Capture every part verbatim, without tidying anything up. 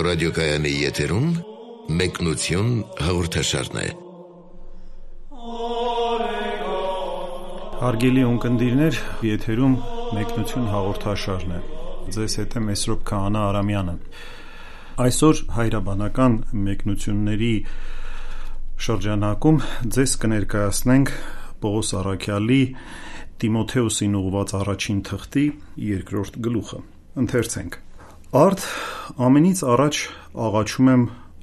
ռադիոկայանի եթերում մեկնություն հաղորդաշարն է։ Հարգելի ունկնդիրներ, եթերում մեկնություն հաղորդաշարն է։ Ձեզ հետ է Մեսրոպ Քահանա Արամյանը։ Այսօր հայրաբանական մեկնությունների շրջանակում ձեզ կներկայացնենք Պողոս Առաքյալի Տիմոթեոսին ուղղված առաջին թղթի երկրորդ գլուխը։ Ընթերցենք. Արդ ամենից առաջ աղաչում եմ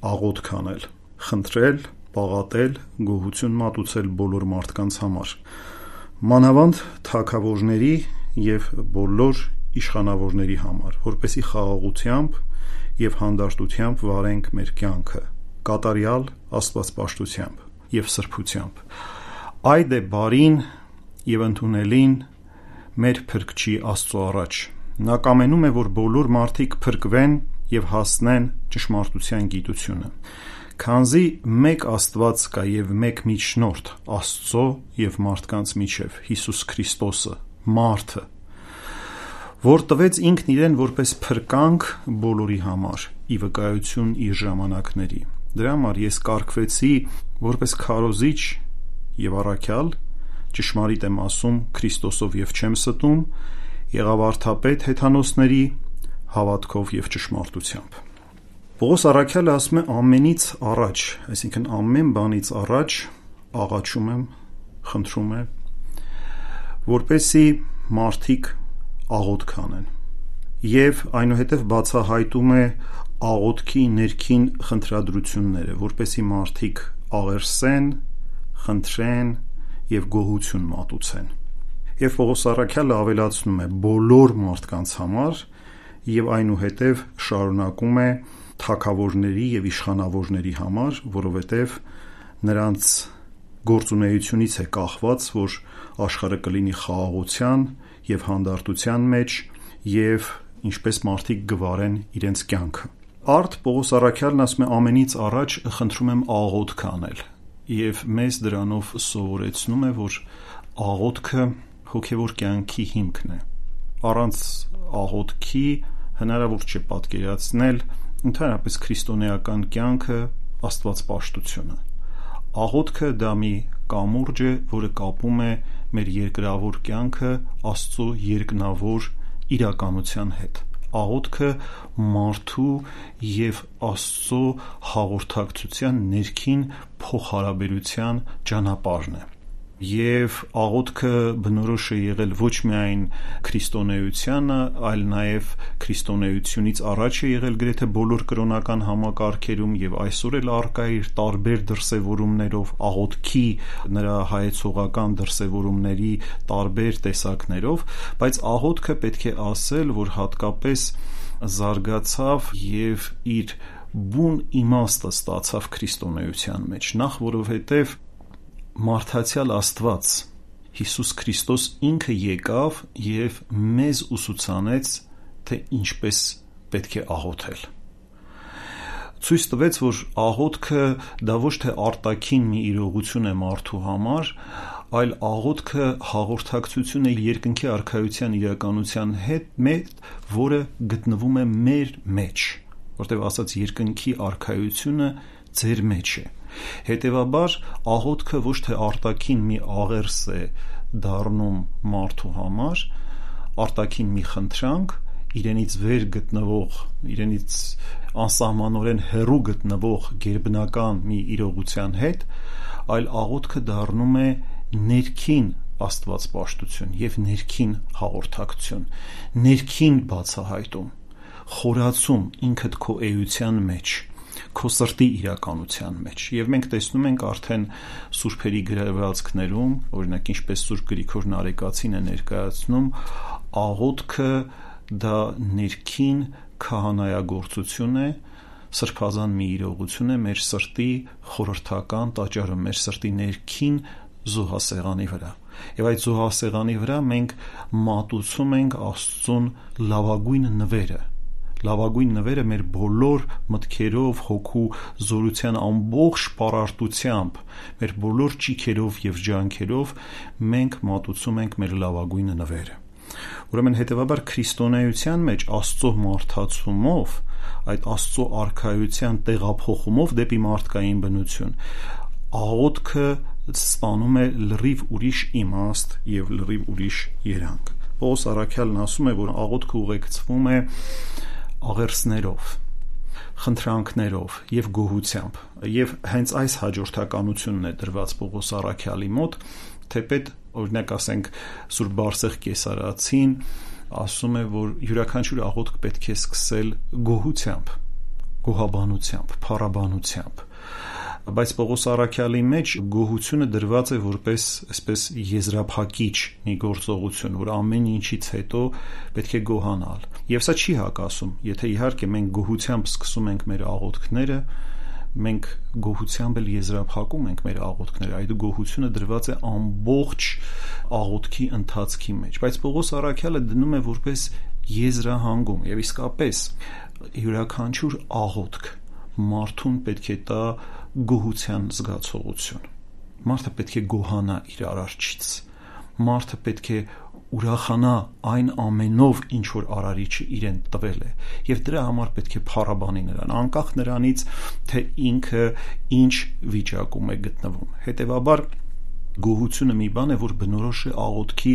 աղոթք անել, խնդրել, պաղատել, գոհություն մատուցել բոլոր մարդկանց համար, մանավանդ թագավորների և բոլոր իշխանավորների համար, որպեսզի խաղաղությամբ և հանդարտությամբ վարենք մեր կյանքը, կատարյալ աստվածպաշտությամբ և սրբությամբ։ Այդ է բարին և ընդունելին մեր Փրկչի Աստծո առաջ։ Նա կամենում է, որ բոլոր մարդիկ փրկվեն և հասնեն ճշմարտության գիտությունը, քանզի մեկ Աստված կա և մեկ միջնորդ Աստծո և մարդկանց միջև, Հիսուս Քրիստոսը, մարդը, որ տվեց ինքն իրեն որպես փրկանք բոլորի համար, ի վկայություն իր ժամանակների։ Դրա համար ես կարգվեցի որպես քարոզիչ և առաքյալ, ճշմարիտ եմ ասում Քրիստոսով և չեմ ստում, եղավարդապետ հեթանոսների, հավատքով և ճշմարտությամբ։ Պողոս առաքյալը ասում է ամենից առաջ, այսինքն ամեն բանից առաջ աղաչում եմ, խնդրում է, որպեսզի մարդիկ աղոթք անեն, և այնուհետև բացահայտում է աղոթքի ներքին խնդրադրությունները, որպեսզի մարդիկ աղերսեն, խնդրեն և գոհություն մատուցեն։ Եվ Պողոս առաքյալը ավելացնում է բոլոր մարդկանց համար և այնուհետև շարունակում է թագավորների և իշխանավորների համար, որովհետև նրանց գործունեությունից է կախված, որ աշխարհը կլինի խաղաղության և հանդարտության մեջ և ինչպես մարդիկ կվարեն իրենց կյանքը։ Արդ Պողոս առաքյալն ասում է ամենից առաջ խնդրում եմ աղոթք անել և մեզ դրանով սովորեցնում է, որ աղոթքը հոգևոր կյանքի հիմքն է։ Առանց աղոթքի հնարավոր չէ պատկերացնել ընդհանրապես քրիստոնեական կյանքը, աստվածպաշտությունը։ Աղոթքը դա մի կամուրջ է, որը կապում է մեր երկրավոր կյանքը Աստծո երկնավոր իրականության հետ։ Աղոթքը մարդու և Աստծո հաղորդակցության ներքին փոխհարաբերության ճանապարհն է։ Եվ աղոթքը բնորոշ է եղել ոչ միայն քրիստոնեությանը, այլ նաև քրիստոնեությունից առաջ է եղել գրեթե բոլոր կրոնական համակարգերում և այսօր էլ առկա է իր տարբեր դրսևորումներով, աղոթքի նրա հայեցողական դրսևորումների տարբեր տեսակներով, բայց աղոթքը պետք է ասել, որ հատկապես զարգացավ և իր բուն իմաստը ստացավ քրիստոնեության մեջ, նախ որովհետև մարդացյալ Աստված Հիսուս Քրիստոս ինքը եկավ և մեզ ուսուցանեց, թե ինչպես պետք է աղոթել։ Ցույց տվեց, որ աղոթքը դա ոչ թե արտաքին մի իրողություն է մարդու համար, այլ աղոթքը հաղորդակցություն է երկնքի արքայության իրականության հետ, որը գտնվում է մեր մեջ, որտեղ ասած երկնքի արքայությունը ձեր մեջ է։ Հետևաբար աղոթքը ոչ թե արտաքին մի աղերս է դառնում մարդու համար, արտաքին մի խնդրանք, իրենից վեր գտնվող, իրենից անսահմանորեն հեռու գտնվող գերբնական մի իրողության հետ, այլ աղոթքը դառնում է ներքին աստվածպաշտություն և ներքին հաղորդակցություն, ներքին բացահայտում, խորացում ինքդ քո էության մեջ, քո սրտի իրականության մեջ։ Եվ մենք տեսնում ենք արդեն սուրբերի գրվածքներում, օրինակ ինչպես Սուրբ Գրիգոր Նարեկացին է ներկայացնում, աղոթքը դա ներքին քահանայագործություն է, սրբազան մի իրողություն է մեր սրտի խորհրդական տաճարը, մեր սրտի ներքին զոհասեղանի վրա։ Եվ այդ զոհասեղանի վրա մենք մատուցում ենք Աստծուն լավագույն նվերը, լավագույն նվերը մեր բոլոր մտքերով, հոգու զորության ամբողջ պարարտությամբ, մեր բոլոր ճիգերով և ջանքերով մենք մատուցում ենք մեր լավագույն նվերը։ Ուրեմն հետևաբար քրիստոնեության մեջ Աստծո մարդացումով այդ Աստծո արքայության տեղափոխումով դեպի մարդկային բնություն, աղոթքը ստանում է լրիվ ուրիշ իմաստ եւ լրիվ ուրիշ երանգ։ Պողոս առաքյալն ասում է, որ աղոթքը ուղեկցվում է աղերսներով, խնդրանքներով եւ գոհությամբ, եւ հենց այս հաջորդականությունն է դրված Պողոս առաքյալի մոտ, թեպետ օրինակ ասենք Սուրբ Բարսեղ Կեսարացին ասում է, որ յուրաքանչյուր աղոթք պետք է սկսել գոհությամբ, գոհաբանությամբ, փառաբանությամբ, բայց Պողոս առաքյալի մեջ գոհությունը դրված է որպես այսպես եզրափակիչ մի գործողություն, որ ամեն ինչից հետո պետք է գոհանալ, եւ սա չի հակասում, եթե իհարկե մենք գոհությամբ սկսում ենք մեր աղոթքները, մենք գոհությամբ էլ եզրափակում ենք մեր աղոթքները, այդ գոհությունը դրված է ամբողջ աղոթքի ընթացքի մեջ, բայց Պողոս առաքյալը դնում է որպես եզրահանգում, եւ իսկապես յուրաքանչյուր աղոթք մարդուն պետք է տա գոհության զգացողություն, մարդը պետք է գոհանա իր արարչից, մարդը պետք է ուրախանա այն ամենով, ինչ որ արարիչը իրեն տվել է, եւ դրա համար պետք է փառաբանի նրան, անկախ նրանից, թե ինքը ինչ վիճակում է գտնվում։ Հետևաբար գոհությունը մի բան է, որ բնորոշ է աղոթքի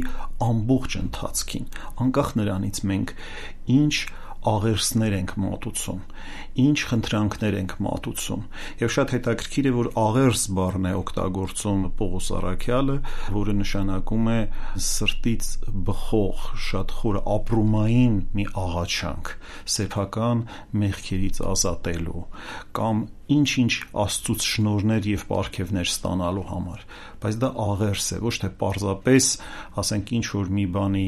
ամբողջ ընթացքին, անկախ նրանից մենք ինչ աղերսներ ենք մատուցում, ինչ խնդրանքներ ենք մատուցում, եւ շատ հետաքրքիր է, որ աղերս բառն է օգտագործում Պողոս առաքյալը, որը նշանակում է սրտից բխող, շատ խոր ապրումային մի աղաչանք, սեփական մեղքերից ազատելու կամ ինչ-ինչ Աստծուց շնորհներ եւ պարգևներ ստանալու համար, բայց դա աղերս է, ոչ թե պարզապես, ասենք ինչ որ մի բանի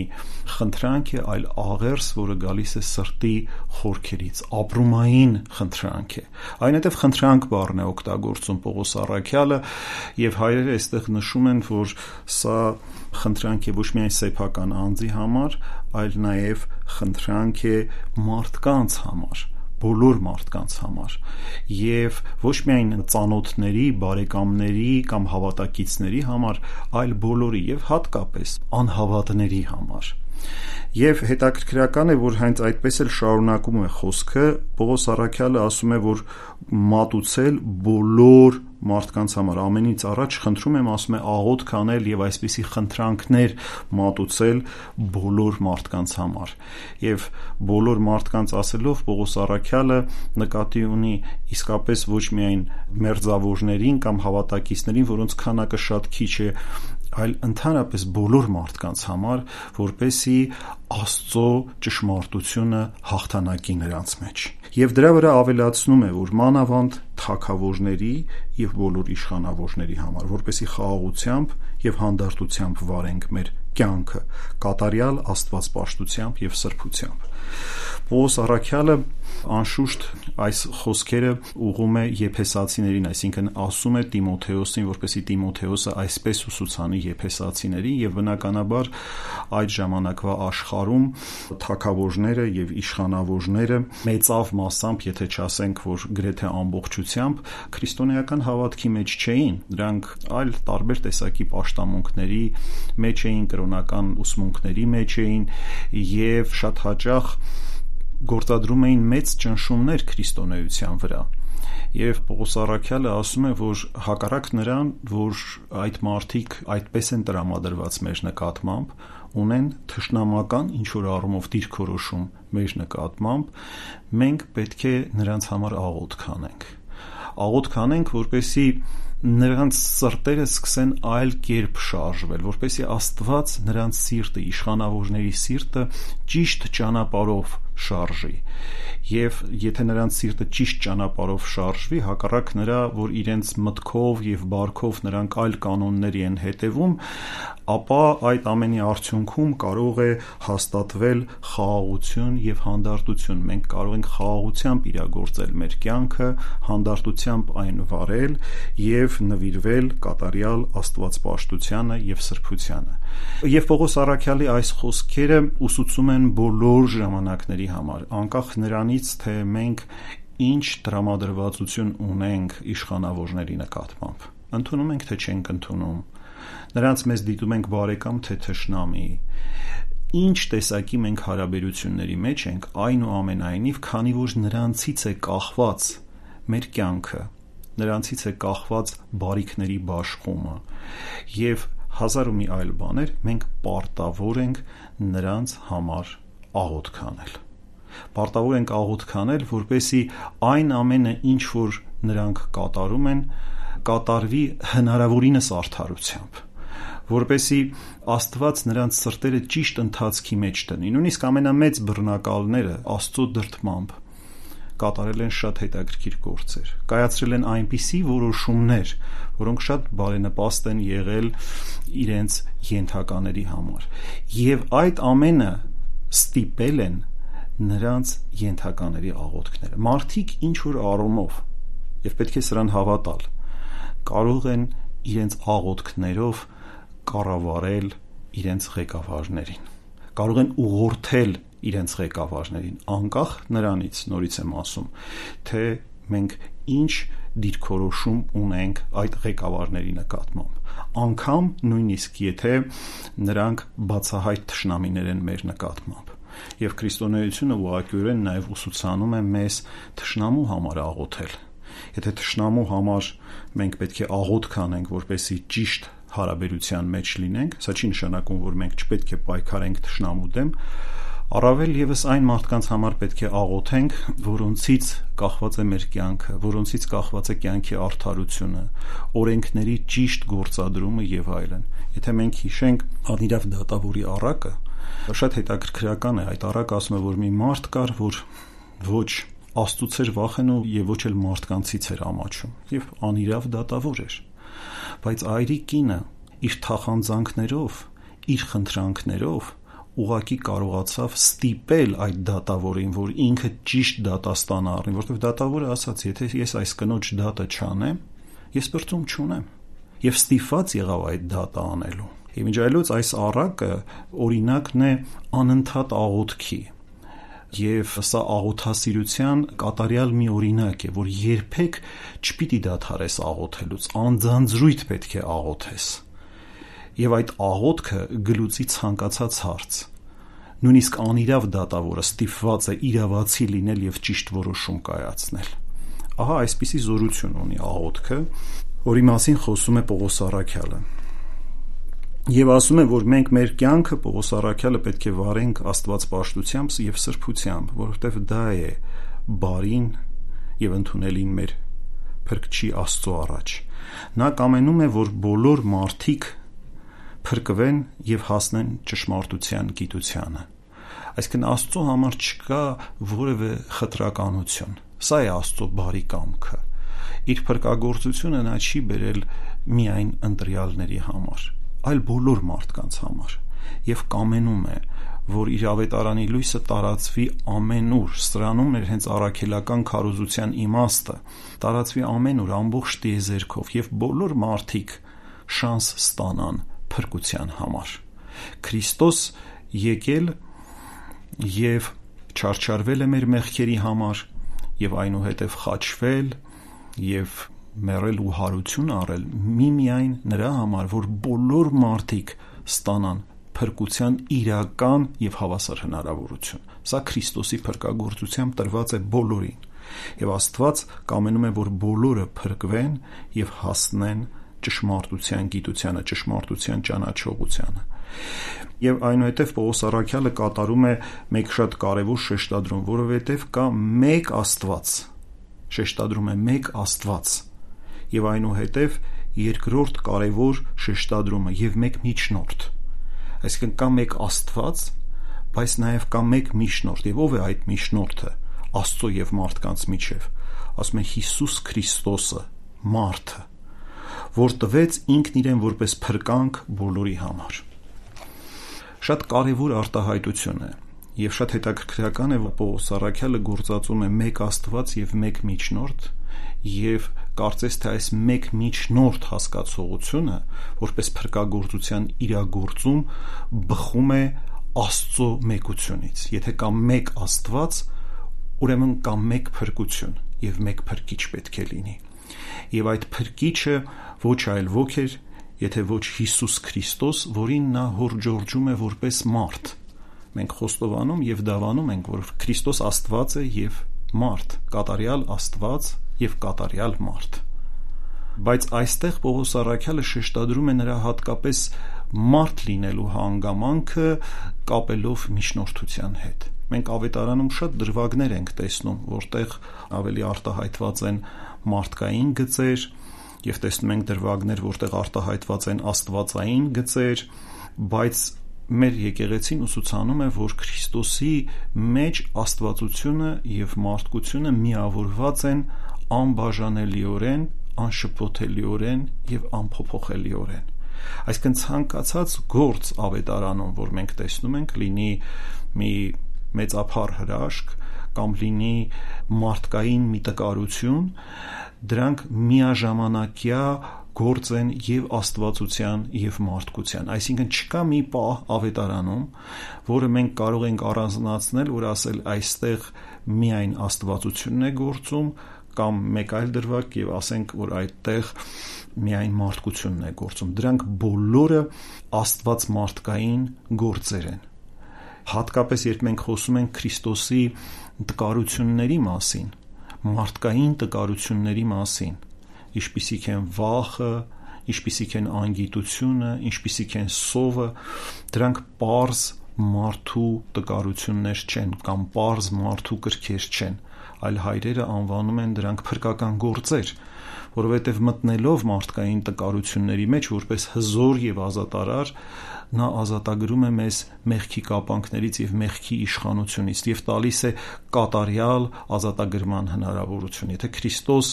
խնդրանք է, այլ աղերս, որը գալիս է սրտի խորքերից, ապրումային խնդրանք է։ Այնուհետև խնդրանք բառն է օգտագործում Պողոս առաքյալը, եւ հայրերը այստեղ նշում են, որ սա խնդրանք է ոչ միայն սեփական անձի համար, այլ նաեւ խնդրանք է մարդկանց համար, բոլոր մարդկանց համար, եւ ոչ միայն ծանոթների, բարեկամների կամ հավատակիցների համար, այլ բոլորի եւ հատկապես անհավատների համար։ Եվ հետաքրքրական է, որ հենց այդպես էլ շարունակում է խոսքը, Պողոս առաքյալը ասում է, որ մատուցել բոլոր մարդկանց համար, ամենից առաջ խնդրում եմ, ասում է, աղոթք անել եւ այսպիսի խնդրանքներ մատուցել բոլոր մարդկանց համար, եւ բոլոր մարդկանց ասելով Պողոս առաքյալը նկատի ունի իսկապես ոչ միայն մերձավորներին կամ հավատակիցներին, որոնց քանակը շատ քիչ է, այլ ընդհանրապես բոլոր մարդկանց համար, որպեսզի Աստծո ճշմարտությունը հաղթանակի նրանց մեջ։ Եվ դրա վրա ավելացնում է, որ մանավանդ թագավորների եւ բոլոր իշխանավորների համար, որպեսզի խաղաղությամբ եւ հանդարտությամբ վարենք մեր կյանքը, կատարյալ աստվածպաշտությամբ եւ սրբությամբ։ Պողոս առաքյալը անշուշտ այս խոսքերը ուղղում է Եփեսացիներին, այսինքն ասում է Տիմոթեոսին, որպեսզի Տիմոթեոսը այսպես ուսուցանի եփեսացիներին, եւ բնականաբար այդ ժամանակվա աշխարհում թագավորները եւ իշխանավորները մեծավ մասամբ, եթե չասենք, որ գրեթե ամբողջությամբ քրիստոնեական հավատքի մեջ չէին, դրանք այլ տարբեր տեսակի պաշտամունքների մեջ էին, կրոնական ուսմունքների մեջ էին եւ շատ հաճախ գործադրում էին մեծ ճնշումներ քրիստոնեության վրա։ Եվ Պողոս առաքյալը ասում է, որ հակառակ նրան, որ այդ մարդիկ այդպես են տրամադրված մեր նկատմամբ, ունեն թշնամական ինչ որ առումով դիրքորոշում մեր նկատմամբ, մենք պետք է նրանց համար աղոթք անենք։ Աղոթք անենք, որպեսզի նրանց սրտերը սկսեն այլ կերպ շարժվել, որպեսզի Աստված նրանց սիրտը, իշխանավորների սիրտը ճիշտ ճանապարհով շարժի, եւ եթե նրանց սիրտը ճիշտ ճանապարհով շարժվի, հակառակ նրա, որ իրենց մտքով եւ բարքով նրանք այլ կանոնների են հետևում, ապա այդ ամենի արդյունքում կարող է հաստատվել խաղաղություն եւ հանդարտություն։ Մենք կարող ենք խաղաղությամբ իրագործել մեր կյանքը, հանդարտությամբ այն վարել եւ նվիրվել կատարյալ աստվածպաշտությանը եւ սրբությանը։ Եվ Պողոս առաքյալի այս խոսքերը ուսուցում են բոլոր ժամանակների համար, անկախ նրանից, թե մենք ինչ տրամադրվածություն ունենք իշխանավորների նկատմամբ։ Ընդունում ենք, թե չենք ընդունում, նրանց մեզ դիտում ենք բարեկամ, թե թշնամի, ինչ տեսակի մենք հարաբերությունների մեջ ենք, այնուամենայնիվ, քանի որ նրանցից է կախված մեր կյանքը, նրանցից է կախված բարիքների բաշխումը եւ հազար ու մի այլ բաներ, մենք պարտավոր ենք նրանց համար աղոթք անել։ Պարտավոր ենք աղոթք անել, որպեսզի այն ամենը, ինչ որ նրանք կատարում են, կատարվի հնարավորինս արդարությամբ, որպեսզի Աստված նրանց սրտերը ճիշտ ընթացքի մեջ դնի։ Նույնիսկ ամենամեծ բռնակալները Աստծո դրդմամբ կատարել են շատ հետաքրքիր գործեր, կայացրել են այնպիսի որոշումներ, որոնք շատ բարենպաստ են եղել իրենց ենթակաների համար, եւ այդ ամենը ստիպել են նրանց ենթակաների աղոթքները։ Մարդիկ ինչ որ առումով, եւ պետք է սրան հավատալ, կարող են իրենց աղոթքներով կառավարել իրենց ղեկավարներին, կարող են ուղղորդել իրենց ղեկավարներին, անկախ նրանից, նորից եմ ասում, թե մենք ինչ դիրքորոշում ունենք այդ ղեկավարների նկատմամբ, անգամ նույնիսկ եթե նրանք բացահայտ թշնամիներ են մեր նկատմամբ։ Եվ քրիստոնեությունը ուղղակիորեն նաև ուսուցանում է մեզ թշնամու համար աղոթել։ Եթե թշնամու համար մենք պետք է աղոթք անենք, որպեսզի ճիշտ հարաբերության մեջ լինենք, սա չի նշանակում, որ մենք չպետք է պայքարենք թշնամու դեմ, առավել եւս այն մարդկանց համար պետք է աղոթենք, որոնցից կախված է մեր կյանքը, որոնցից կախված է կյանքի արդարությունը, օրենքների ճիշտ գործադրումը եւ այլն։ Եթե մենք հիշենք Անիրավ դատավորի առակը, շատ հետաքրքրական է, այդ առակը ասում է, որ մի մարդ կար, որ ոչ Աստծուց էր վախենում եւ ոչ էլ մարդկանցից էր ամաչում, եւ անիրավ դատավոր էր, բայց այրի կինը իր թախանձանքներով, իր խնդրանքներով ուղղակի կարողացավ ստիպել այդ դատավորին, որ ինքը ճիշտ դատաստան առնի, որովհետեւ դատավորը ասաց, եթե ես այս կնոջ դատը չանեմ, ես բրծում չունեմ, եւ ստիպված եղավ այդ դատը անելու։ Եվ ինչ այլոց այս առակը օրինակն է անընդհատ աղոթքի, եւ սա աղոթասիրության կատարյալ մի օրինակ է, որ երբեք չպիտի դադարես աղոթելուց, անձանձրույթ պետք է աղոթես, եւ այդ աղոթքը գլուծի ցանկացած հարց։ Նույնիսկ անիրավ դատավորը ստիպված է իրավացի լինել եւ ճիշտ որոշում կայացնել։ Ահա այսպիսի զորություն ունի աղոթքը, որի մասին խոսում է Պողոս առաքյալը։ Եվ ասում է, որ մենք մեր կյանքը Պողոս առաքյալը պետք է վարենք աստվածպաշտությամբ եւ սրբությամբ, որովհետեւ դա է բարին եւ ընդունելին մեր Փրկչի Աստծո առաջ։ Նա կամենում է, որ բոլոր մարդիկ փրկվեն եւ հասնեն ճշմարտության գիտությանը։ Այսինքն Աստծո համար չկա որևէ խտրականություն։ Սա է Աստծո բարի կամքը։ Իր փրկagorցությունը նա չի բերել միայն ընտրյալների համար, այլ բոլոր մարդկանց համար, եւ կամենում է, որ իր ավետարանի լույսը տարածվի ամենուր, սրանում էր հենց առաքելական քարոզության իմաստը, տարածվի ամենուր ամբողջ տիեզերքով եւ բոլոր մարդիկ շանս ստանան փրկության համար։ Քրիստոս եկել եւ չարչարվել է մեր մեղքերի համար եւ այնուհետեւ խաչվել եւ մեռել ու հարություն առել միմիայն նրա համար, որ բոլոր մարդիկ ստանան փրկության իրական եւ հավասար հնարավորություն։ Սա Քրիստոսի փրկagorցությամբ տրված է բոլորին, եւ Աստված կամենում է, որ բոլորը փրկվեն եւ հասնեն ճշմարտության գիտությանը, ճշմարտության ճանաչողությանը։ Եվ այնուհետև Պողոս առաքյալը կատարում է մեկ շատ կարևոր շեշտադրում, որովհետև կա մեկ Աստված, շեշտադրում է մեկ Աստված, եւ այնուհետև երկրորդ կարևոր շեշտադրումը եւ մեկ միջնորդ։ Այսինքն կա մեկ Աստված, բայց նաեւ կա մեկ միջնորդ, եւ ով է այդ միջնորդը Աստծո եւ մարդկանց միջև։ Ասում է Հիսուս Քրիստոսը, մարդը, որ տվեց ինքն իրեն որպես փրկանք բոլորի համար։ Շատ կարևոր արտահայտություն է եւ շատ հետաքրքրական է, որ Պողոս առաքյալը գործածում է մեկ Աստված եւ մեկ միջնորդ, եւ կարծես թե այս մեկ միջնորդ հասկացողությունը որպես փրկagorցության իրագործում բխում է Աստծո մեկությունից։ Եթե կա մեկ Աստված, ուրեմն կա մեկ փրկություն եւ մեկ փրկիչ պետք է լինի։ Եվ այդ փրկիչը ոչ այլ ոք էր, եթե ոչ Հիսուս Քրիստոս, որին նա հորդորում է որպես մարդ, Մենք խոստովանում եւ դավանում ենք, որ Քրիստոս Աստված է եւ մարդ, կատարյալ Աստված եւ կատարյալ մարդ։ Բայց այստեղ Պողոս առաքյալը շեշտադրում է նրա հատկապես մարդ լինելու հանգամանքը կապելով միջնորդության հետ։ Մենք ավետարանում շատ դրվագներ ենք տեսնում, որտեղ ավելի արտահայտված են մարդկային գծեր, եւ տեսնում ենք դրվագներ, որտեղ արտահայտված են աստվածային գծեր, բայց մեր եկեղեցին ուսուցանում է, որ Քրիստոսի մեջ աստվածությունը եւ մարդկությունը միավորված են անբաժանելիորեն, անշփոթելիորեն եւ անփոփոխելիորեն։ Այսինքն ցանկացած գործ ավետարանում, որ մենք տեսնում ենք, լինի մի մեծափառ հրաշք կամ լինի մարդկային մի տկարություն, դրանք միաժամանակյա գործ են եւ աստվածության եւ մարդկության։ Այսինքն չկա մի պահ ավետարանում, որը մենք կարող ենք առանձնացնել, որ ասել այստեղ միայն աստվածությունն է գործում, կամ մեկ այլ դրվագ եւ ասենք, որ այդտեղ միայն մարդկությունն է գործում։ Դրանք բոլորը աստված մարդկային գործեր են։ Հատկապես երբ մենք խոսում ենք Քրիստոսի տկարությունների մասին, մարդկային տկարությունների մասին, ինչպիսիք են վախը, ինչպիսիք են անգիտությունը, ինչպիսիք են սովը, դրանք պարզ մարդու տկարություններ չեն կամ պարզ մարդու կրքեր չեն, այլ հայրերը անվանում են դրանք փրկական գործեր, որովհետև մտնելով մարդկային տկարությունների մեջ որպես հզոր եւ ազատարար, նա ազատագրում է մեզ մեղքի կապանքներից եւ մեղքի իշխանությունից եւ տալիս է կատարյալ ազատագրման հնարավորություն։ Եթե Քրիստոս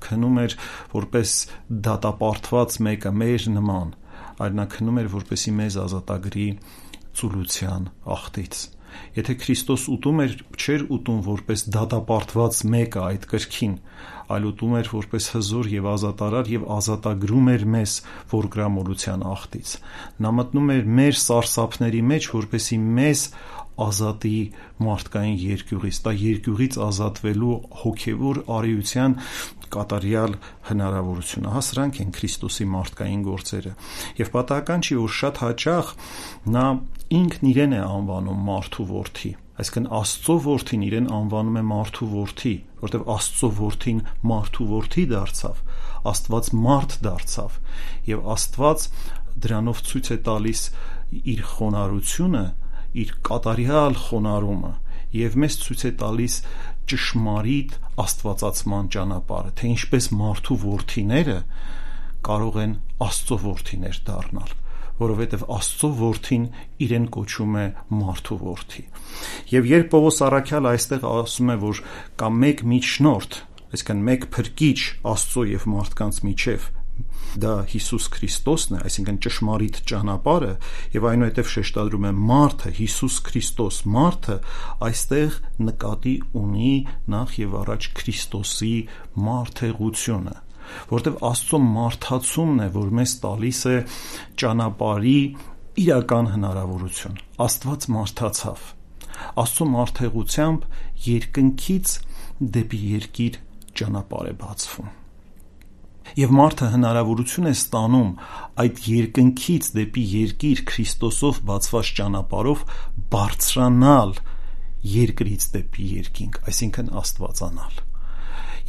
քնում էր որպես դատապարտված մեկը մեր նման, այլ նա քնում էր որպեսի մեզ ազատագրի ծուլության աղտից։ Եթե Քրիստոս ուտում էր, չէր ուտում որպես դատապարտված մեկը այդ կրքին, այլ ուտում էր որպես հզոր եւ ազատարար եւ ազատագրում էր մեզ ողգրամոլության աղտից։ Նա մտնում էր մեր սարսափների մեջ, որպեսի մեզ ազատի մարդկային երկյուղից, դա երկյուղից ազատվելու հոգևոր արիության կատարյալ հնարավորությունը։ Հա սրանք են Քրիստոսի մարդկային գործերը։ Եվ պատահական չի, որ շատ հաճախ նա ինքն իրեն է անվանում մարդու որդի, այսինքն Աստծո որդին իրեն անվանում է մարդու որդի, որտեղ Աստծո որդին մարդու որդի դարձավ, Աստված մարդ դարձավ, եւ Աստված դրանով ցույց է տալիս իր խոնարհությունը, իր կատարյալ խոնարհումը, եւ մեզ ցույց է տալիս ճշմարիտ աստվածացման ճանապարհը, թե ինչպես մարդու որդիները կարող են Աստծո որդիներ դառնալ, որովհետև Աստծո որդին իրեն կոչում է մարդու որդի։ Եվ երբ Պողոս առաքյալը այստեղ ասում է, որ կա մեկ միջնորդ, այսինքն մեկ փրկիչ Աստծո եւ մարդկանց միջև, դա Հիսուս Քրիստոսն է, այսինքն ճշմարիտ ճանապարհը, եւ այնուհետև շեշտադրում է մարդը, Հիսուս Քրիստոս, մարդը այստեղ նկատի ունի նախ եւ առաջ Քրիստոսի մարդեղությունը, որտեղ Աստծո մարդացումն է, որ մեզ տալիս է ճանապարհի իրական հնարավորություն։ Աստված մարդացավ։ Աստծո մարդեղությամբ երկնքից դեպի երկիր ճանապարհ է բացվում։ Եվ մարդը հնարավորություն է ստանում այդ երկնքից դեպի երկիր Քրիստոսով բացված ճանապարհով բարձրանալ երկրից դեպի երկինք, այսինքն աստվածանալ։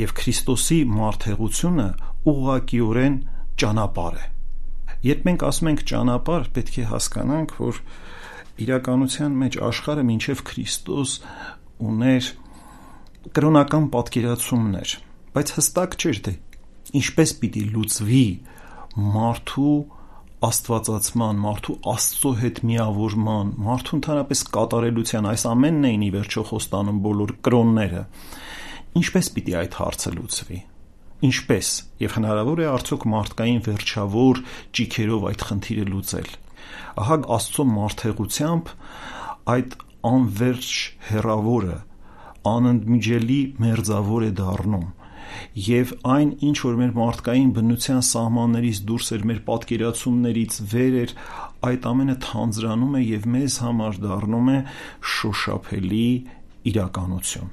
Եվ Քրիստոսի մարդեղությունը ուղղակիորեն ճանապարհ է։ Երբ մենք ասում ենք ճանապարհ, պետք է հասկանանք, որ իրականության մեջ աշխարհը մինչև Քրիստոս ուներ կրոնական պատկերացումներ, բայց հստակ չէր թե ինչպես պիտի լուծվի մարդու աստվածացման, մարդու Աստծո հետ միավորման, մարդու ընդհանրապես կատարելության, այս ամենն էին ի վերջո խոստանում բոլոր կրոնները։ Ինչպես պիտի այդ հարցը լուծվի։ Ինչպես եւ հնարավոր է արդյոք մարդկային վերջավոր ճիգերով այդ խնդիրը լուծել։ Ահա Աստծո մարդեղությամբ այդ անverջ հեռավորը անընդմիջելի մերձավոր է դառնում, եւ այն ինչ որ մեր մարդկային բնության սահմաններից դուրս էր, մեր պատկերացումներից վեր էր, այդ ամենը թանձրանում է եւ մեզ համար դառնում է շոշափելի իրականություն,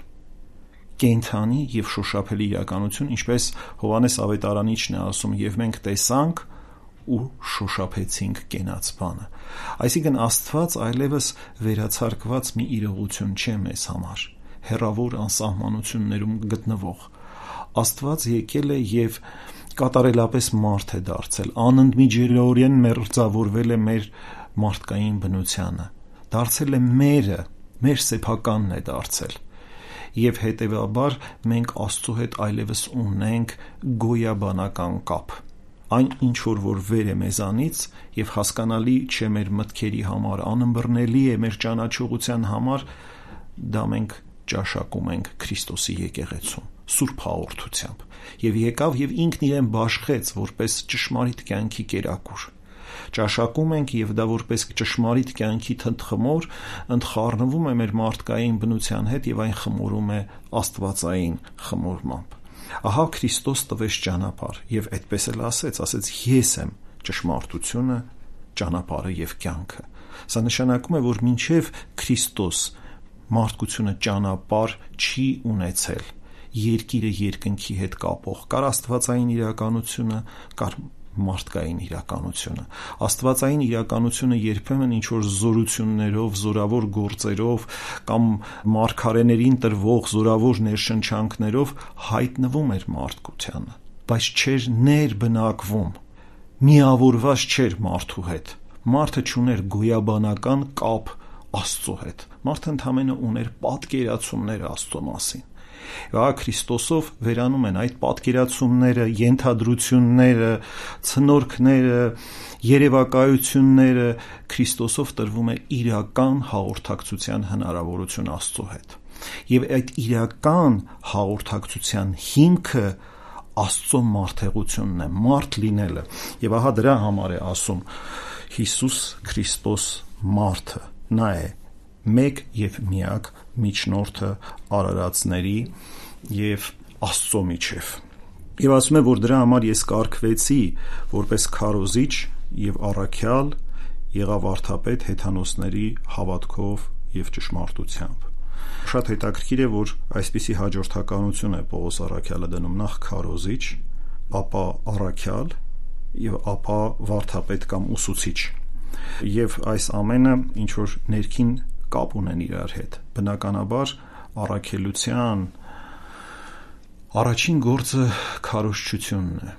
կենդանի եւ շոշափելի իրականություն, ինչպես Հովհաննես Ավետարանիչն է ասում, եւ մենք տեսանք ու շոշափեցինք կենաց բանը։ Այսինքն Աստված այլևս վերացարկված մի իրողություն չէ մեզ համար, հեռավոր անսահմանություններում գտնվող։ Աստված եկել է եւ կատարելապես մարդ է դարձել, անընդմիջելիորեն մերձավորվել է մեր մարդկային բնությանը, դարձել է մերը, մեր սեփականն է դարձել։ Եվ հետևաբար մենք Աստծո հետ այլևս ունենք գոյաբանական կապ։ Այն ինչ որ որ վեր է մեզանից եւ հասկանալի չէ մեր մտքերի համար, անըմբռնելի է մեր ճանաչողության համար, դա մենք ճաշակում ենք Քրիստոսի եկեղեցում, Սուրբ հաղորդությամբ, եւ եկավ եւ ինքն իրեն բաշխեց որպես ճշմարիտ կյանքի կերակուր։ Ճաշակում ենք եւ դա որպես ճշմարիտ կյանքի թնթխմոր ընդխառնվում է մեր մարդկային բնության հետ եւ այն խմորում է աստվածային խմորմամբ։ Ահա Քրիստոս տվեց ճանապարհ եւ այդպես էլ ասեց, ասեց ես եմ ճշմարտությունը, ճանապարհը եւ կյանքը։ Սա նշանակում է, որ մինչեւ Քրիստոս մարդկությունը ճանապարհ չի ունեցել, երկիրը երկնքի հետ կապող, կար աստվածային իրականությունը, կար մարդկային իրականությունը։ Աստվածային իրականությունը երբեմն ինչ որ զորություններով, զորավոր գործերով կամ մարգարեներին տրվող զորավոր ներշնչանքներով հայտնվում էր մարդկությանը, բայց չէր ներբնակվում, միավորված չէր մարդու հետ։ Մարդը չուներ գոյաբանական կապ Աստծո հետ։ Մարդը ընդհանրապես ուներ պատկերացումներ Աստծո մասին։ Ահա Քրիստոսով վերանում են այդ պատկերացումները, ենթադրությունները, ցնորքները, երևակայությունները, Քրիստոսով տրվում է իրական հաղորդակցության հնարավորություն Աստծո հետ։ Եվ այդ իրական հաղորդակցության հիմքը Աստծո մարդեղությունն է, մարդ լինելը։ Եվ ահա դրա համար է ասում Հիսուս Քրիստոս մարդը, նա է մեկ եւ միակ միջնորդը արարածների եւ Աստծո միջև։ Եվ ասում է, որ դրա համար ես կարգվեցի որպես քարոզիչ եւ առաքյալ, եղա վարդապետ հեթանոսների հավատքով եւ ճշմարտությամբ։ Շատ հետաքրքիր է, որ այսպիսի հաջորդականություն է Պողոս առաքյալը դնում, նախ քարոզիչ, ապա առաքյալ եւ ապա վարդապետ կամ ուսուցիչ։ Եվ այս ամենը ինչ որ ներքին կապ ունեն իրար հետ։ Բնականաբար առաքելության առաջին գործը քարոզչությունն է,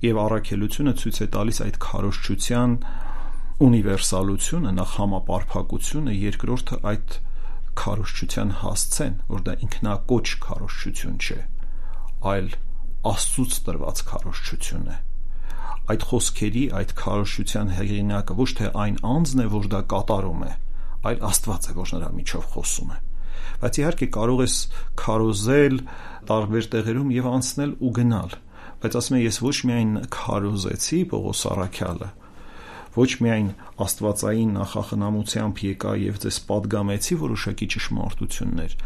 եւ առաքելությունը ցույց է տալիս այդ քարոզչության ունիվերսալությունը, նախ համապարփակությունը, երկրորդը այդ քարոզչության հասցեն, որ դա ինքնակոչ քարոզչություն չէ, այլ Աստծուց տրված քարոզչություն է։ Այդ խոսքերի, այդ քարոզչության հեղինակը ոչ թե այն անձն է, որ դա կատարում է, այլ Աստված է, որ նրա միջով խոսում է։ Բայց իհարկե կարող ես քարոզել տարբեր տեղերում եւ անցնել ու գնալ, բայց ասում եմ, ես ոչ միայն քարոզեցի Պողոս առաքյալը, ոչ միայն աստվածային նախախնամությամբ եկա եւ ձեզ պատգամեցի որոշակի ճշմարտություններ,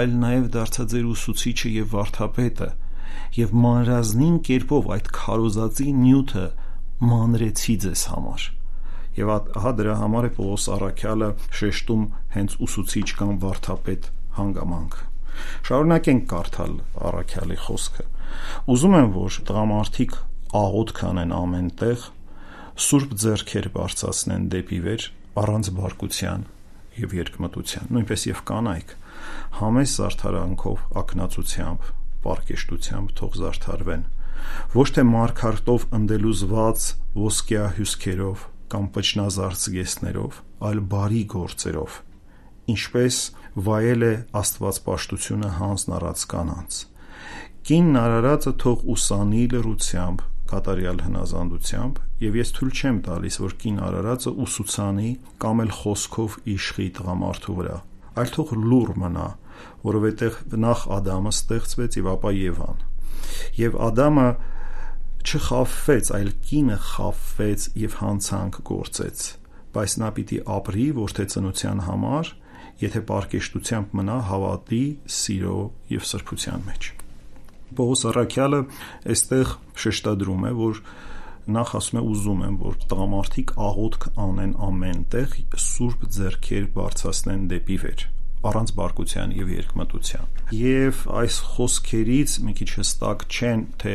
այլ նաեւ դարձա ձեր ուսուցիչը եւ վարդապետը, եւ մանրազնին կերպով այդ քարոզածի նյութը մանրեցի ձեզ համար։ Եվ ահա դրա համար է Պողոս առաքյալը շեշտում հենց ուսուցիչ կամ վարդապետ հանգամանքը։ Շարունակենք կարդալ առաքյալի խոսքը։ Ուզում եմ, որ տղամարդիկ աղոթք անեն ամենտեղ, սուրբ ձեռքեր բարձրացնեն դեպի վեր, առանց բարկության եւ երկմտության, նույնպես եւ կանայք, համեստ զարդարանքով, ակնածությամբ, պարկեշտությամբ թող զարդարվեն, ոչ թե մարգարտով ընդելուզված ոսկյա հյուսքերով կամ պճնազարդ զգեստներով, այլ բարի գործերով, ինչպես վայել է աստվածպաշտությունը հանձն առած կանանց։ Կինն արարածը թող ուսանի լռությամբ, կատարյալ հնազանդությամբ, եւ ես թույլ չեմ տալիս, որ կին արարածը ուսուցանի կամ էլ խոսքով իշխի տղամարդու վրա, այլ թող լուռ մնա, որովհետեւ նախ Ադամը ստեղծվեց եւ ապա Եվան։ Եվ Ադամը չխաբվեց, այլ կինը խաբվեց եւ հանցանք գործեց, բայց նա պիտի ապրի որդեծնության համար, եթե պարկեշտությամբ մնա հավատի, սիրո եւ սրբության մեջ։ Պողոս առաքյալը այստեղ շեշտադրում է, որ նախ ասում է ուզում եմ, որ տղամարդիկ աղոթք անեն ամենտեղ, սուրբ ձեռքեր բարձրացնեն դեպի վեր, առանց բարկության եւ երկմտության։ Եվ այս խոսքերից մի քիչ հստակ չեն, թե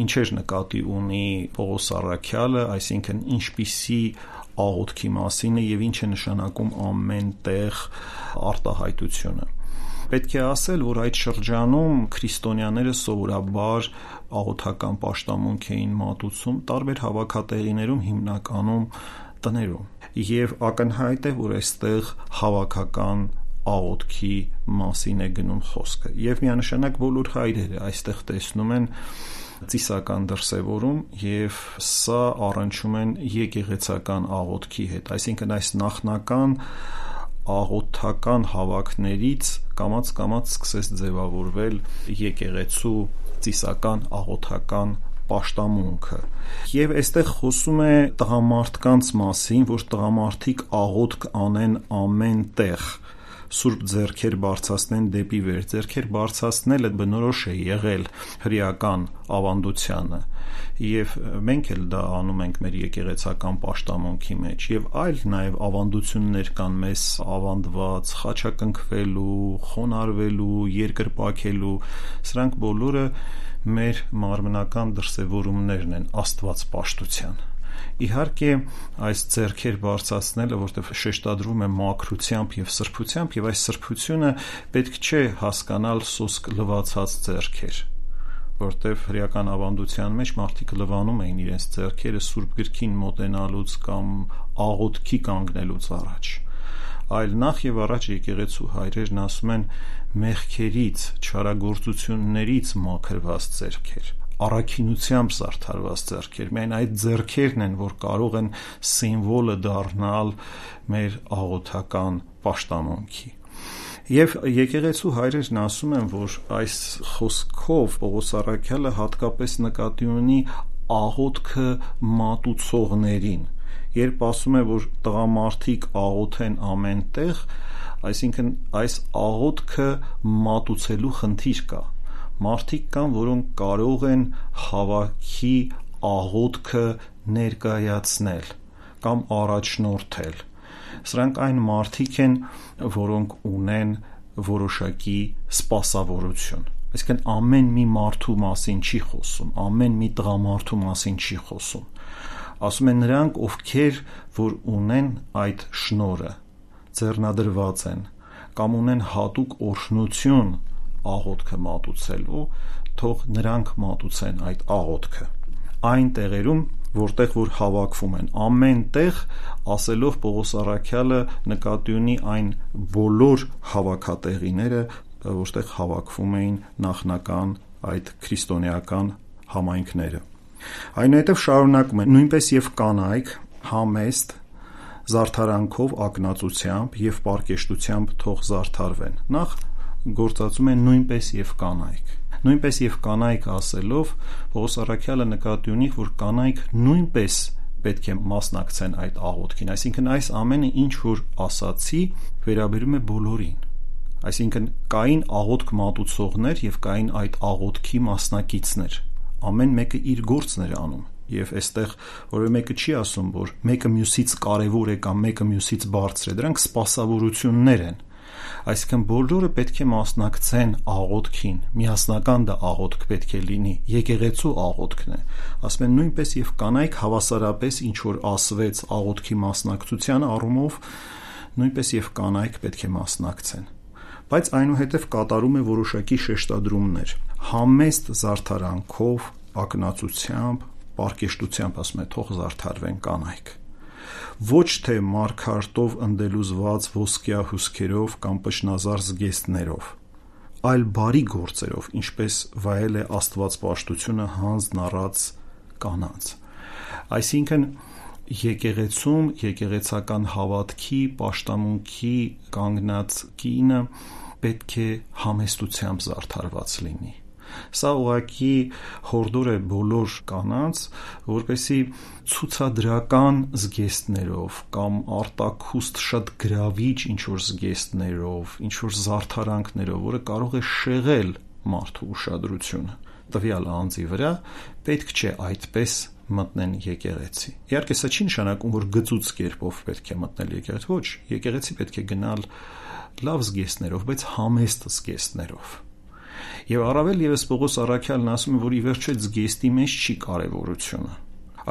ինչեր նկատի ունի Պողոս առաքյալը, այսինքն ինչպիսի աղոթքի մասին է եւ ինչ է նշանակում ամեն տեղ արտահայտությունը։ Պետք է ասել, որ այդ շրջանում քրիստոնյաները սովորաբար աղոթական պաշտամունք էին մատուցում տարբեր հավաքատեղիներում, հիմնականում տներում, եւ ակնհայտ է, որ այստեղ հավաքական աղոթքի մասին է գնում խոսքը, եւ միանշանակ բոլոր հայրերը այստեղ տեսնում են ծիսական դրսևորում, եւ սա առնչում են եկեղեցական աղոթքի հետ, այսինքն այս նախնական աղոթական հավաքներից կամաց-կամաց սկսեց ձևավորվել եկեղեցու ծիսական աղոթական պաշտամունքը։ Եվ այստեղ խոսում է տղամարդկանց մասին, որ տղամարդիկ աղոթք անեն ամեն տեղ, սուրբ ձեռքեր բարձրացնեն դեպի վեր։ Ձեռքեր բարձրացնելը բնորոշ է եղել հրեական ավանդությանը, եւ մենք էլ դա անում ենք մեր եկեղեցական պաշտամունքի մեջ, եւ այլ նաեւ ավանդություններ կան մեզ ավանդված խաչակնքվելու, խոնարհվելու, երկրպագելու, սրանք բոլորը մեր մարմնական դրսևորումներն են աստվածպաշտության։ Իհարկե, այս ձեռքեր բարձրացնելը, որտեղ շեշտադրվում է մաքրությամբ եւ սրբությամբ, եւ այս սրբությունը պետք չէ հասկանալ սոսկ լվացած ձեռքեր, որտեղ հրեական ավանդության մեջ մարդիկ լվանում էին իրենց ձեռքերը սուրբ գրքին մոտենալուց կամ աղոթքի կանգնելուց առաջ, այլ նախ եւ առաջ եկեղեցու հայրերն ասում են մեղքերից, չարագործություններից մաքրված ձեռքեր, առաքինությամբ զարդարված ձեռքեր, միայն այդ ձեռքերն են, որ կարող են սիմվոլը դառնալ մեր աղոթական պաշտամունքի։ Եվ եկեղեցու հայրերն ասում են, որ այս խոսքով Պողոս առաքյալը հատկապես նկատի ունի աղոթքը մատուցողներին, երբ ասում է, որ տղամարդիկ աղոթեն ամեն տեղ, այսինքն այս աղոթքը մատուցելու խնդիր կա։ Մարդիկ կան, որոնք կարող են հավաքի աղոթքը ներկայացնել կամ առաջնորդել։ Սրանք այն մարդիկ են, որոնք ունեն որոշակի սպասավորություն։ Այսինքն ամեն մի մարդու մասին չի խոսում, ամեն մի տղամարդու մասին չի խոսում։ Ասում են նրանք, ովքեր որ ունեն այդ շնորհը, ձեռնադրված են կամ ունեն հատուկ օրհնություն աղոթքը մատուցելու, թող նրանք մատուցեն այդ աղոթքը այն տեղերում, որտեղ որ հավաքվում են, ամեն տեղ, ասելով Պողոս առաքյալը նկատի ունի այն բոլոր հավաքատեղիները, որտեղ հավաքվում էին նախնական այդ քրիստոնեական համայնքները։ Այնուհետև շարունակում են, նույնպես եւ կանայք համեստ զարդարանքով, ակնածությամբ եւ պարկեշտությամբ թող զարդարվեն։ Նախ գործածում են նույնպես եւ կանայք։ Նույնպես եւ կանայք ասելով Պողոս առաքյալը նկատի ունի, որ կանայք նույնպես պետք է մասնակցեն այդ աղոթքին, այսինքն այս ամենը ինչ որ ասացի վերաբերում է բոլորին, այսինքն կային աղոթք մատուցողներ եւ կային այդ աղոթքի մասնակիցներ, ամեն մեկը իր գործն էր անում, եւ այստեղ որևէ մեկը չի ասում, որ մեկը մյուսից կարեւոր է կամ մեկը մյուսից բարձր է, դրանք սպասավորություններ են, այսինքն բոլորը պետք է մասնակցեն աղոթքին, միասնական դա աղոթք պետք է լինի, եկեղեցու աղոթքն է, ասում են նույնպես եւ կանայք հավասարապես ինչ որ ասվեց աղոթքի մասնակցության առումով, նույնպես եւ կանայք պետք է մասնակցեն, բայց այնուհետև կատարում է որոշակի շեշտադրումներ, համեստ զարդարանքով, ակնածությամբ, պարկեշտությամբ ասում է թող զարդարվեն կանայք, ոչ թե մարգարտով ընդելուզված ոսկյա հուսքերով կամ պշնազար զգեստներով, այլ բարի գործերով, ինչպես վայել է աստվածպաշտությունը հանձն առած կանանց։ Այսինքն եկեղեցում եկեղեցական հավատքի պաշտամունքի կանգնած կինը պետք է համեստությամբ զարդարված լինի։ Սա ուղղակի հորդոր է բոլոր կանանց, որպեսզի ցուցադրական զգեստներով կամ արտաքուստ շատ գրավիչ ինչ-որ զգեստներով, ինչ-որ զարդարանքներով, որը կարող է շեղել մարդու ուշադրությունը տվյալ անձի վրա, պետք չէ այդպես մտնեն եկեղեցի։ Իհարկե սա չի նշանակում, որ գծուծ կերպով պետք է մտնել եկեղեցի, ոչ, եկեղեցի պետք է գնալ լավ զգեստներով, բայց համեստ զգեստներով։ Եվ առավել ևս Պողոս առաքյալն ասում է, որ ի վերջո զգեստի մեջ չի կարևորությունը,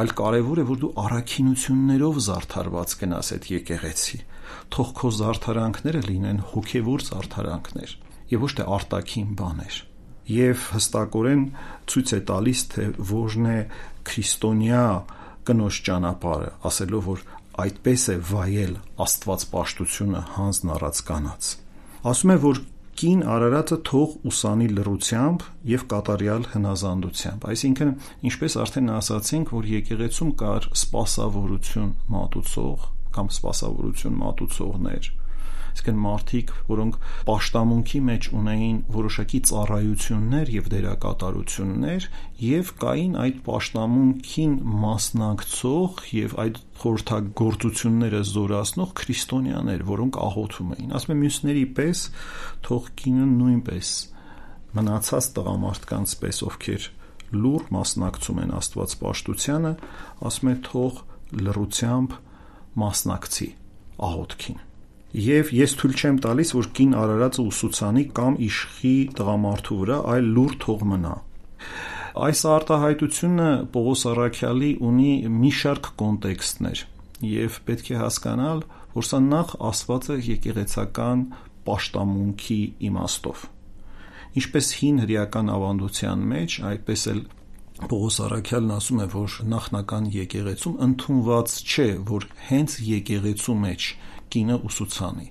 այլ կարևոր է, որ դու առաքինություններով զարդարված գնաս այդ եկեղեցի, թող քո զարդարանքները լինեն հոգևոր զարդարանքներ եւ ոչ թե արտաքին բաներ։ Եվ հստակորեն ցույց է տալիս, թե որն է քրիստոնյա կնոջ ճանապարհը, ասելով, որ այդպես է վայել աստվածպաշտությունը հանձն առած կանանց։ Ասում է, որ կին արարածը թող ուսանի լռությամբ եւ կատարյալ հնազանդությամբ, այսինքն ինչպես արդեն ասացինք, որ եկեղեցում կար սպասավորություն մատուցող կամ սպասավորություն մատուցողներ, այսինքն մարդիկ, որոնք պաշտամունքի մեջ ունեին որոշակի ծառայություններ եւ դերակատարություններ, եւ կային այդ պաշտամունքին մասնակցող եւ այդ խորհրդագործությունները զորացնող քրիստոնյաներ, որոնք աղոթում էին։ Ասում եմ, մյուսների պես թող կինը նույնպես մնացած տղամարդկանց պես, ովքեր լուռ մասնակցում են աստվածպաշտությանը, ասում է, թող լռությամբ մասնակցի աղոթքին։ Եվ ես թույլ չեմ տալիս, որ կին արարածը ուսուցանի կամ իշխի տղամարդու վրա, այլ լուռ թող մնա։ Այս արտահայտությունը Պողոս առաքյալի ունի մի շարք կոնտեքստներ, եւ պետք է հասկանալ, որ սա նախ ասված է եկեղեցական պաշտամունքի իմաստով։ Ինչպես հին հրեական ավանդության մեջ, այդպես էլ Պողոս առաքյալն ասում է, որ նախնական եկեղեցում ընդունված չէ, որ հենց եկեղեցու մեջ կինը ուսուցանի,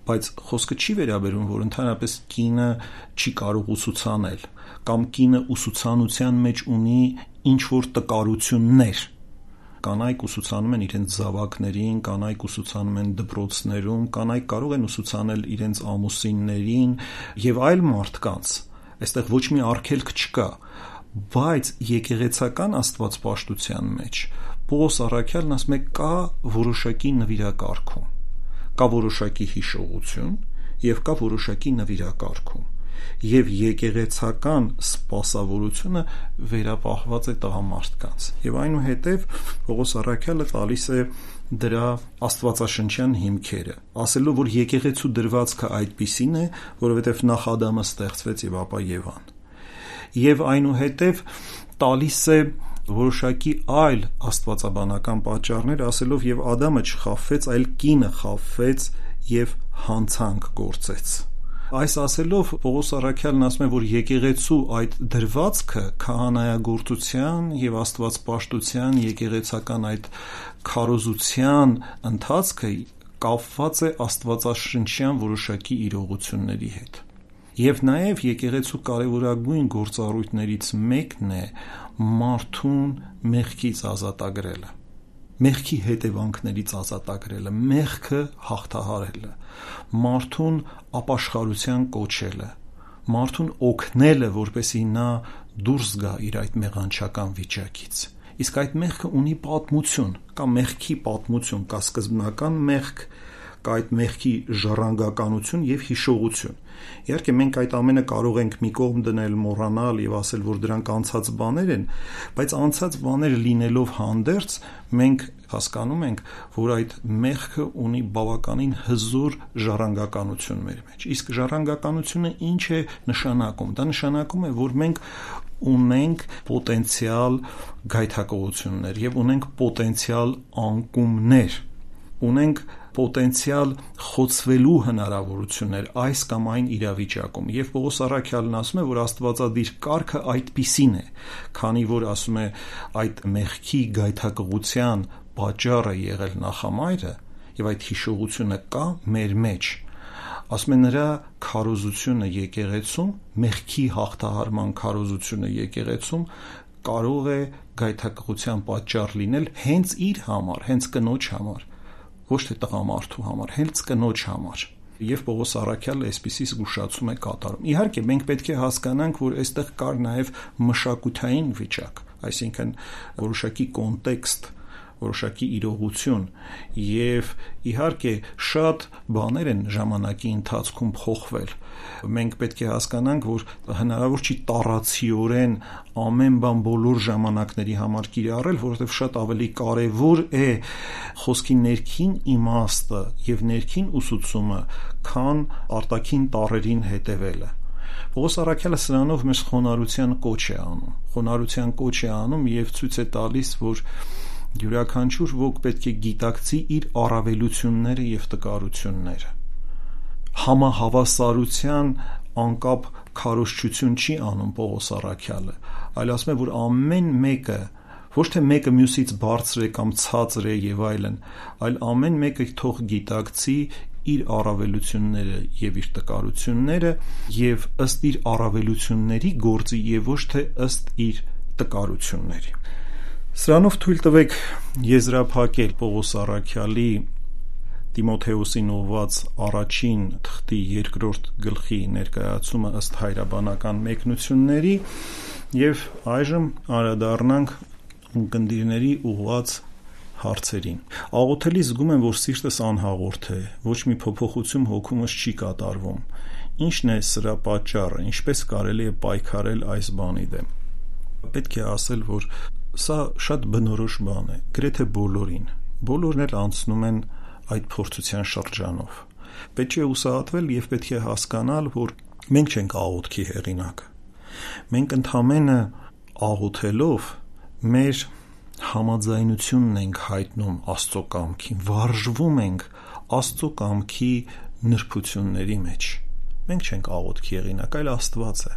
բայց խոսքը չի վերաբերում, որ ընդհանրապես կինը չի կարող ուսուցանել, կամ կինը ուսուցանության մեջ ունի ինչ-որ տկարություններ։ Կանայք ուսուցանում են իրենց զավակներին, կանայք ուսուցանում են դպրոցներում, կանայք կարող են ուսուցանել իրենց ամուսիններին եւ այլ մարդկանց։ Այստեղ ոչ մի արգելք չկա, բայց եկեղեցական աստվածպաշտության մեջ Պողոս առաքյալն ասում է, կա որոշակի նվիրակարգում, կա որոշակի հիշողություն եւ կա որոշակի նվիրակարգում, եւ եկեղեցական սպասավորությունը վերապահված է տղամարդկանց, եւ այնուհետեւ Պողոս առաքյալը տալիս է դրա աստվածաշնչյան հիմքերը, ասելով, որ եկեղեցու դրվածքը այդպիսին է, որովհետեւ նախ Ադամը ստեղծվեց եւ ապա Եվան, եւ այնուհետեւ տալիս է որոշակի այլ աստվածաբանական պատճառներ, ասելով, եւ Ադամը չխաբվեց, այլ կինը խաբվեց եւ հանցանք գործեց։ Այս ասելով Պողոս առաքյալն ասում է, որ եկեղեցու այդ դրվածքը քահանայագործության եւ աստվածպաշտության եկեղեցական այդ քարոզության ընթացքը կապված է աստվածաշնչյան որոշակի իրողությունների հետ։ Եվ նաև եկեղեցու կարևորագույն գործառույթներից մեկն է մարդուն մեղքից ազատագրելը, մեղքի հետևանքներից ազատագրելը, մեղքը հաղթահարելը, մարդուն ապաշխարության կոչելը, մարդուն օգնելը, որպեսզի նա դուրս գա իր այդ մեղանչական վիճակից։ Իսկ այդ մեղքը ունի պատմություն, կա մեղքի պատմություն, կա սկզբնական մեղք, կա այդ մեղքի ժառանգականություն եւ հիշողություն։ Իհարկե մենք այդ ամենը կարող ենք մի կողմ դնել, մոռանալ եւ ասել, որ դրանք անցած բաներ են, բայց անցած բաները լինելով հանդերձ մենք հասկանում ենք, որ այդ մեղքը ունի բավականին հզոր ժառանգականություն մեր մեջ։ Իսկ ժառանգականությունը ինչ է նշանակում։ Դա նշանակում է, որ մենք ունենք պոտենցիալ գայթակղություններ եւ ունենք պոտենցիալ անկումներ, ունենք պոտենցիալ խոցվելու հնարավորություններ այս կամ այն իրավիճակում։ Եվ Պողոս առաքյալն ասում է, որ Աստվածադիր կարգը այդպիսին է, քանի որ ասում է այդ մեղքի գայթակղության պատճառը եղել նախամայրը եւ այդ հիշողությունը կա մեր մեջ։ Ասում է նրա քարոզությունը եկեղեցում, մեղքի հաղթահարման քարոզությունը եկեղեցում կարող է գայթակղության պատճառ լինել հենց իր համար, հենց կնոջ համար, ոչ թե տղամարդու համար, հենց կնոջ համար։ Եվ Պողոս առաքյալը այսպիսի զգուշացում է կատարում։ Իհարկե, մենք պետք է հասկանանք, որ այստեղ կար նաև մշակութային վիճակ, այսինքն որոշակի կոնտեքստ, որոշակի իրողություն, եւ իհարկե շատ բաներ են ժամանակի ընթացքում փոխվել։ Մենք պետք է հասկանանք, որ հնարավոր չի տառացիորեն ամեն բան բոլոր ժամանակների համար կիրառել, որովհետև շատ ավելի կարևոր է խոսքի ներքին իմաստը եւ ներքին ուսուցումը, քան արտաքին տառերին հետևելը։ Պողոս Առաքյալը սրանով մեզ խոնարհության կոչ է անում, խոնարհության կոչ է անում եւ ցույց է տալիս, որ յուրաքանչյուր ոք պետք է գիտակցի իր առավելությունները եւ տկարությունները։ Համահավասարության անկապ քարոզչություն չի անում Պողոս Առաքյալը, այլ ասում է, որ ամեն մեկը ոչ թե մեկը մյուսից բարձր է կամ ցածր է եւ այլն, այլ ամեն մեկը թող գիտակցի իր առավելությունները եւ իր տկարությունները եւ ըստ իր առավելությունների գործի եւ ոչ թե ըստ իր տկարությունների։ Սրանով թույլ տվեք եզրափակել Պողոս Առաքյալի Տիմոթեոսին ուղված առաջին թղթի երկրորդ գլխի ներկայացումը ըստ հայրաբանական մեկնությունների եւ այժմ անդրադառնանք ունկնդիրների ուղված հարցերին։ Աղոթելի զգում եմ, որ սիրտս անհաղորդ է, ոչ մի փոփոխություն հոգումս չի կատարվում։ Ինչն է սրա պատճառը, ինչպես կարելի է պայքարել այս բանի դեմ։ Պետք է ասել, որ սա շատ բնորոշ բան է, գրեթե բոլորին։ Բոլորն էլ անցնում են այդ փորձության շրջանով։ Պետք է ուսահատվել եւ պետք է հասկանալ, որ մենք չենք աղոթքի հեղինակը։ Մենք ընդհանրապես աղոթելով մեր համաձայնությունն ենք հայտնում Աստծո կամքին, վարժվում ենք Աստծո կամքի նրբությունների մեջ։ Մենք չենք աղոթքի հեղինակ, այլ Աստված է։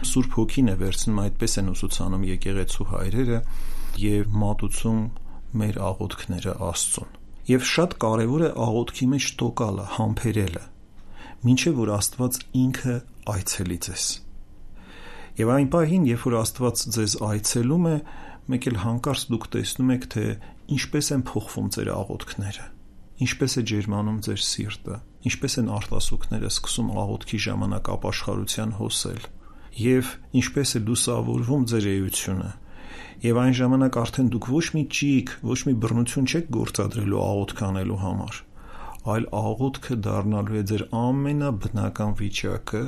Սուրբ Հոգին է վերցնում, այդպես են ուսուցանում եկեղեցու հայրերը եւ մատուցում մեր աղոթքները Աստծուն։ Եվ շատ կարևոր է աղոթքի մեջ տոկալը, համբերելը, մինչև որ Աստված ինքը այցելի ձեզ։ Եվ այն պահին, երբ որ Աստված ձեզ այցելում է, մեկ էլ հանկարծ դուք տեսնում եք, թե ինչպես են փոխվում ձեր աղոթքները, ինչպես է ջերմանում ձեր սիրտը, ինչպես են արտասուքները սկսում աղոթքի ժամանակ ապաշխարության հոսել, եւ ինչպես է լուսավորվում ձեր էությունը։ Եվ այն ժամանակ արդեն դուք ոչ մի ճիգ, ոչ մի բռնություն չեք գործադրելու աղոթք անելու համար, այլ աղոթքը դառնալու է ձեր ամենաբնական վիճակը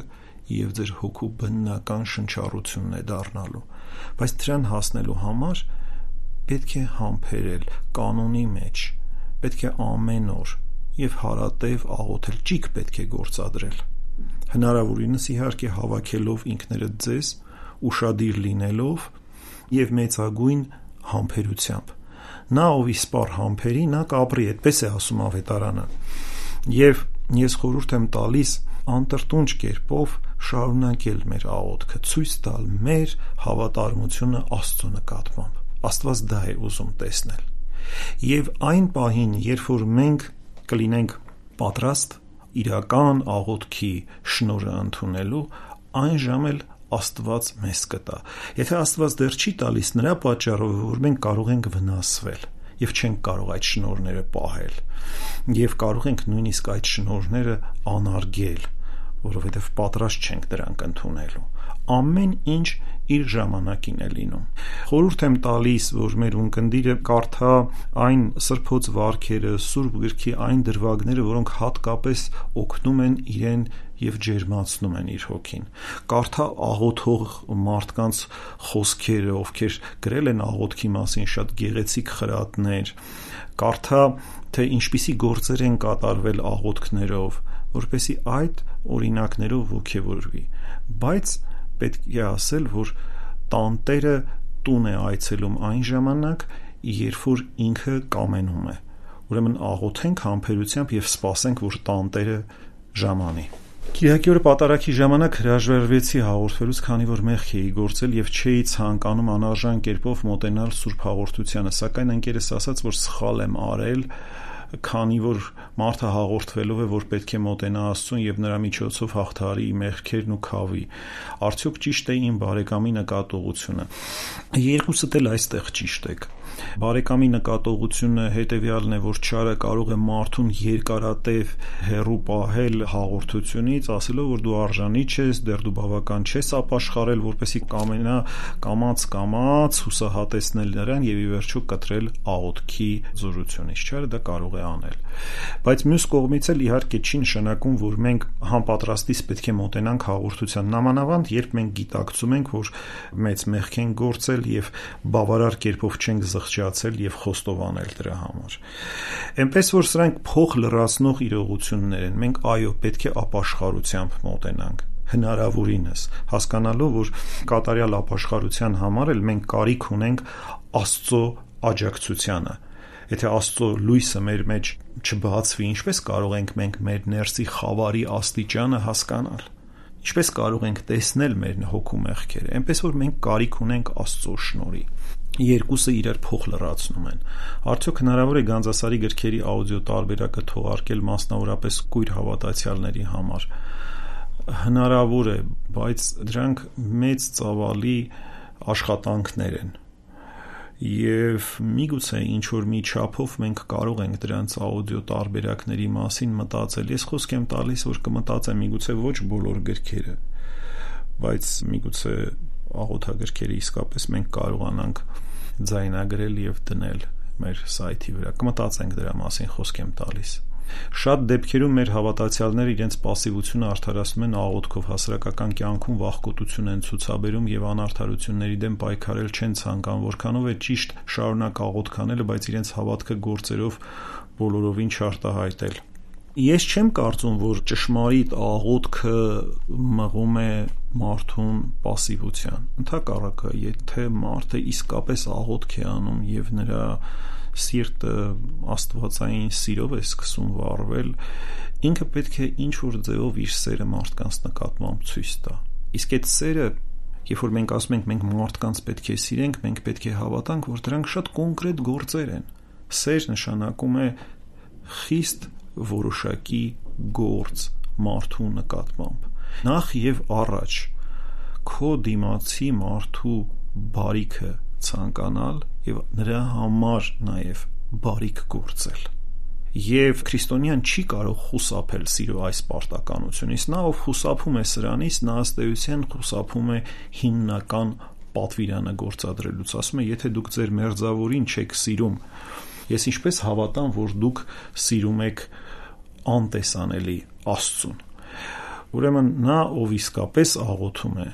եւ ձեր հոգու բնական շնչառությունն է դառնալու։ Բայց դրան հասնելու համար պետք է համբերել կանոնի մեջ, պետք է ամեն օր եւ հարատև աղոթել, ճիգ պետք է գործադրել։ Հնարավորինս իհարկե հավաքելով ինքներդ ձեզ, ուշադիր լինելով եւ մեծագույն համբերությամբ։ Նա ով իսպառ համբերի, նա կապրի, այդպես է ասում ավետարանը։ Եվ ես խորհուրդ եմ տալիս անտրտունջ կերպով շարունակել մեր աղոթքը, ցույց տալ մեր հավատարմությունը Աստծո նկատմամբ։ Աստված դա է ուզում տեսնել։ Եվ այն պահին, երբ որ մենք կլինենք պատրաստ իրական աղոթքի շնորհը ընդունելու, այն ժամ էլ Աստված մեզ կտա։ Եթե Աստված դեռ չի տալիս, նրա պատճառով, որ մենք կարող ենք վնասվել եւ չենք կարող այդ շնորհները պահել, եւ կարող ենք նույնիսկ այդ շնորհները անարգել, որովհետեւ պատրաստ չենք դրանք ընդունելու։ Ամեն ինչ իր ժամանակին է լինում։ Խորհուրդ եմ տալիս, որ մեր ունկնդիրը կարդա այն սրբոց վարքերը, Սուրբ գրքի այն դրվագները, որոնք հատկապես օգնում են իրեն եւ ջերմացնում են իր հոգին։ Կարդա աղոթող մարդկանց խոսքերը, ովքեր գրել են աղոթքի մասին շատ գեղեցիկ խրատներ։ Կարդա, թե ինչպիսի գործեր են կատարվել աղոթքներով, որպեսզի այդ օրինակներով ոգևորվի։ Բայց պետք է ասել, որ տանտերը տուն է այցելում այն ժամանակ, երբ որ ինքը կամենում է։ Ուրեմն աղոթենք համբերությամբ եւ սպասենք, որ տանտերը ժամանի։ Կիրակի օրը պատարագի ժամանակ հրաժարվեցի հաղորդվելուց, քանի որ մեղք էի գործել եւ չէի ցանկանում անարժան կերպով մոտենալ Սուրբ Հաղորդությանը, սակայն ընկերս ասաց, որ սխալ եմ արել, քանի որ մարդը հաղորդվելով է, որ պետք է մոտենա Աստծուն եւ նրա միջոցով հաղթարի մեղքերն ու քավի։ Արդյոք ճիշտ է իմ բարեկամի նկատողությունը։ Երկուսդ էլ այստեղ ճիշտ եք։ Բարեկամի նկատողությունը հետեւյալն է, որ չարը կարող է մարդուն երկարատև հեռու պահել հաղորդությունից, ասելով, որ դու արժանի չես, դեռ դու բավական չես ապաշխարել, որպեսզի կամենա կամաց կամաց հուսահատեցնել նրան եւ ի վերջո կտրել աղոթքի զորությունից։ Չարը դա կարող է անել։ Բայց մյուս կողմից էլ իհարկե չի նշանակում, որ մենք համապատրաստից պետք է մոտենանք հաղորդության, նամանավանդ երբ մենք գիտակցում ենք, որ մեծ մեղք են գործել եւ բավարար կերպով չենք զղջացել եւ խոստովանել դրա համար։ Էնպես որ սրանք փոխ լրացնող իրողություններ են։ Մենք այո, պետք է ապաշխարությամբ մոտենանք։ հնարավորինս, հասկանալով, որ կատարյալ ապաշխարության համար էլ մենք կարիք ունենք Աստծո աջակցությանը։ Եթե Աստծո լույսը մեր մեջ չբացվի, ինչպես կարող ենք մենք մեր ներսի խավարի աստիճանը հասկանալ։ Ինչպես կարող ենք տեսնել մեր հոգու մեղքերը։ Այնպես որ մենք կարիք ունենք Աստծո շնորհի։ Երկուսը իրար փոխ լրացնում են։ Արդյոք հնարավոր է Գանձասարի գրքերի աուդիո տարբերակը թողարկել մասնավորապես կույր հավատացյալների համար։ Հնարավոր է, բայց դրանք մեծ ծավալի աշխատանքներ են։ Եվ միգուցե ինչ-որ մի չափով մենք կարող ենք դրանց աուդիո տարբերակների մասին մտածել։ Ես խոսք եմ տալիս, որ կմտածեմ միգուցե ոչ բոլոր գրքերը, բայց միգուցե աղոթագրքերը իսկապես մենք կարողանանք ձայնագրել եւ դնել մեր սայթի վրա։ Կմտածենք դրա մասին, խոսք եմ տալիս։ Շատ դեպքերում մեր հավատացյալները իրենց պասիվությունը արդարացնում են աղոթքով, հասարակական կյանքում վախկոտություն են ցուցաբերում եւ անարդարությունների դեմ պայքարել չեն ցանկանում, որքանով է ճիշտ շարունակ աղոթք անելը, բայց իրենց հավատքը գործերով բոլորովին չարտահայտել։ Ես չեմ կարծում, որ ճշմարիտ աղոթքը մղում է մարդուն պասիվության։ Ընդհակառակը, եթե մարդը իսկապես աղոթք է անում եւ նրա սիրտը աստվածային սիրով է սկսում վառվել, ինքը պետք է ինչ-որ ձևով իր սերը մարդկանց նկատմամբ ցույց տա։ Իսկ այդ սերը, երբ որ մենք ասում ենք մենք մարդկանց պետք է սիրենք, մենք պետք է հավատանք, որ դրանք շատ կոնկրետ գործեր են։ Սեր նշանակում է խիստ որոշակի գործ մարդու նկատմամբ։ Նախ եւ առաջ քո դիմացի մարդու բարիքը ցանկանալ եւ նրա համար նաեւ բարիք գործել։ Եվ քրիստոնյան չի կարող խուսափել սիրո այս պարտականությունից։ Նա ով խուսափում է սրանից, նա ըստ էության խուսափում է հիմնական պատվիրանը գործադրելուց։ Ասում է, եթե դուք ձեր մերձավորին չեք սիրում, ես ինչպես հավատամ, որ դուք սիրում եք անտեսանելի Աստծուն։ Ուրեմն նա, ով իսկապես աղոթում է,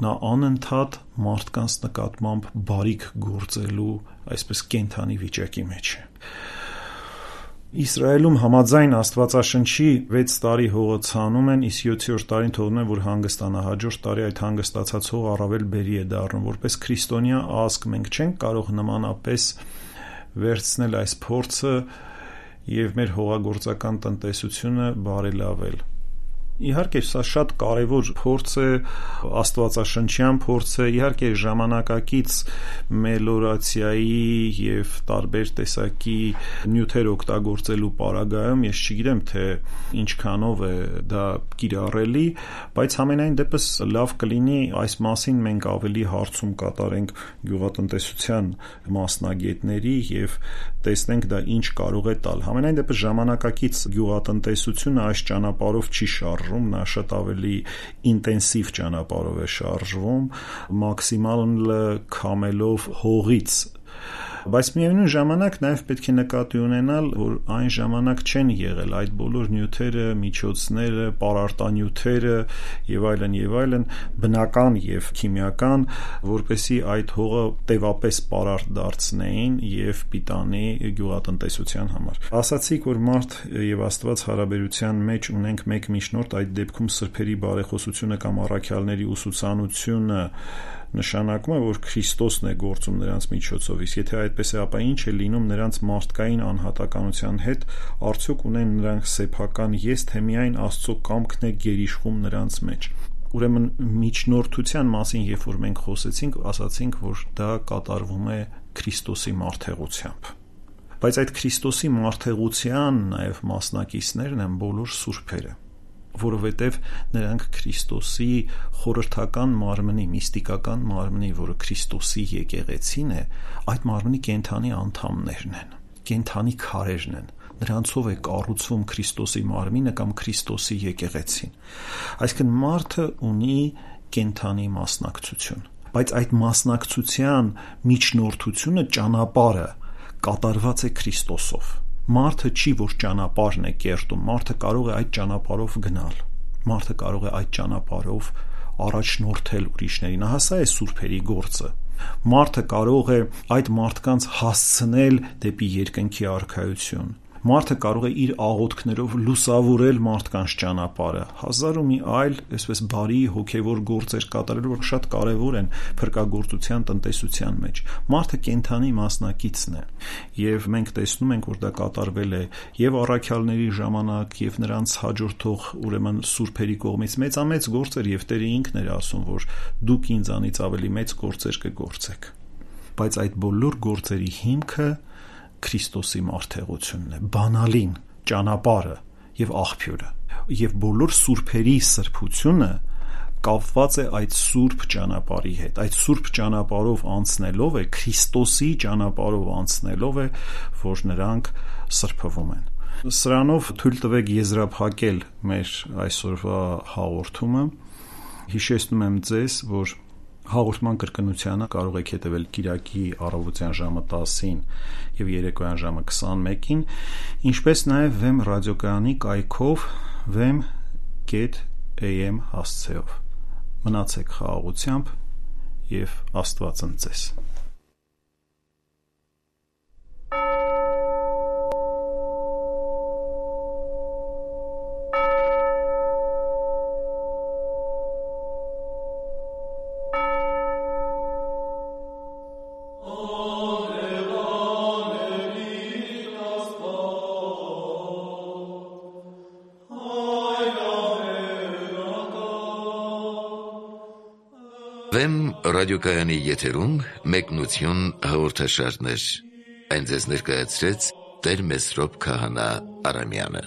նա անընդհատ մարդկանց նկատմամբ բարիք գործելու այսպես կենդանի վիճակի մեջ է։ Իսրայելում համաձայն Աստվածաշնչի վեց տարի հողը ցանում են, իսկ յոթերորդ տարին թողնում են, որ հանգստանա։ Հաջորդ տարի այդ հանգստացած հողը առավել բերի է դառնում։ Որպես քրիստոնյա ազգ մենք չենք կարող նմանապես վերցնել այս փորձը եւ մեր հողագործական տնտեսությունը բարելավել։ Իհարկե, սա շատ կարևոր փորձ է, աստվածաշնչյան փորձ է, իհարկե ժամանակակից մելորացիայի եւ տարբեր տեսակի նյութեր օգտագործելու պարագայում ես չգիտեմ, թե ինչքանով է դա կիրառելի, բայց համենայն դեպս լավ կլինի այս մասին մենք ավելի հարցում կատարենք գյուղատնտեսության մասնագետների եւ տեսնենք դա ինչ կարող է տալ։ Համենայն դեպս ժամանակակից գյուղատնտեսությունը այս ճանապարհով չի շարժվում, նա շատ ավելի ինտենսիվ ճանապարհով է շարժվում, մաքսիմալ քամելով հողից։ Բայց միևնույն ժամանակ նաև պետք է նկատի ունենալ, որ այն ժամանակ չեն եղել այդ բոլոր նյութերը, միջոցները, պարարտանյութերը եւ այլն եւ այլն բնական եւ քիմիական, որպեսզի այդ հողը տևապես պարարտ դարձնեին եւ պիտանի գյուղատնտեսության համար։ Ասացիք, որ մարդ եւ Աստված հարաբերության մեջ ունենք մեկ միջնորդ, այդ դեպքում սրբերի բարեխոսությունը կամ առաքյալների ուսուցանությունը նշանակում է, որ Քրիստոսն է գործում նրանց միջոցով, իսկ եթե այդպես է, ապա ինչ է լինում նրանց մարդկային անհատականության հետ, արդյոք ունեն նրանք սեփական ես, թե միայն Աստծո կամքն է գերիշխում նրանց մեջ։ Ուրեմն միջնորդության մասին, երբ որ մենք խոսեցինք, ասացինք, որ դա կատարվում է Քրիստոսի մարդեղությամբ։ Բայց այդ Քրիստոսի մարդեղության նաև մասնակիցներն են բոլոր սուրբերը, որովհետև նրանք Քրիստոսի խորհրդական մարմնի, միստիկական մարմնի, որը Քրիստոսի եկեղեցին է, այդ մարմնի կենդանի անդամներն են, կենդանի քարերն են։ Նրանցով է կառուցվում Քրիստոսի մարմինը կամ Քրիստոսի եկեղեցին։ Այսինքն մարդը ունի կենդանի մասնակցություն, բայց այդ մասնակցության միջնորդությունը, ճանապարհը կատարված է Քրիստոսով։ Մարդը չի, որ ճանապարհն է կերտում, մարդը կարող է այդ ճանապարհով գնալ, մարդը կարող է այդ ճանապարհով առաջնորդել ուրիշներին, ահա սա է սուրբերի գործը։ Մարդը կարող է այդ մարդկանց հասցնել դեպի երկնքի արքայություն, Մարդը կարող է իր աղոթքներով լուսավորել մարդկանց ճանապարհը, հազար ու մի այլ այսպես բարի հոգևոր գործեր կատարել, որ շատ կարևոր են փրկagorցության տնտեսության մեջ։ Մարդը կենդանի մասնակիցն է, եւ մենք տեսնում ենք, որ դա կատարվել է եւ առաքյալների ժամանակ, եւ նրանց հաջորդող ուրեմն սուրբերի կողմից մեծամեծ գործեր, եւ Տերը ինքն էր ասում, որ դուք ինձանից ավելի մեծ գործեր կգործեք։ Բայց այդ բոլոր գործերի հիմքը Քրիստոսի մարդեղությունն է, բանալին, ճանապարհը եւ աղբյուրը, եւ բոլոր սուրբերի սրբությունը կապված է այդ սուրբ ճանապարհի հետ։ Այդ սուրբ ճանապարհով անցնելով է, Քրիստոսի ճանապարհով անցնելով է, որ նրանք սրբվում են։ Սրանով թույլ տվեք եզրափակել մեր այսօրվա հաղորդումը։ Հիշեցնում եմ ձեզ, որ հաղորդման կրկնությանը կարող եք հետևել Կիրակի առավոտյան ժամը տասին եւ երեկոյան ժամը քսանմեկին, ինչպես նաեւ Վեմ ռադիոկայանի կայքով vem կետ a m հասցեով։ Մնացեք խաղաղությամբ եւ Աստված ընծես։ Վեմ ռադիոկայանի եթերում մեկնություն հաղորդաշարներ։ Այն ձեզ ներկայացրեց Տեր Մեսրոպ Քահանա Արամյանը։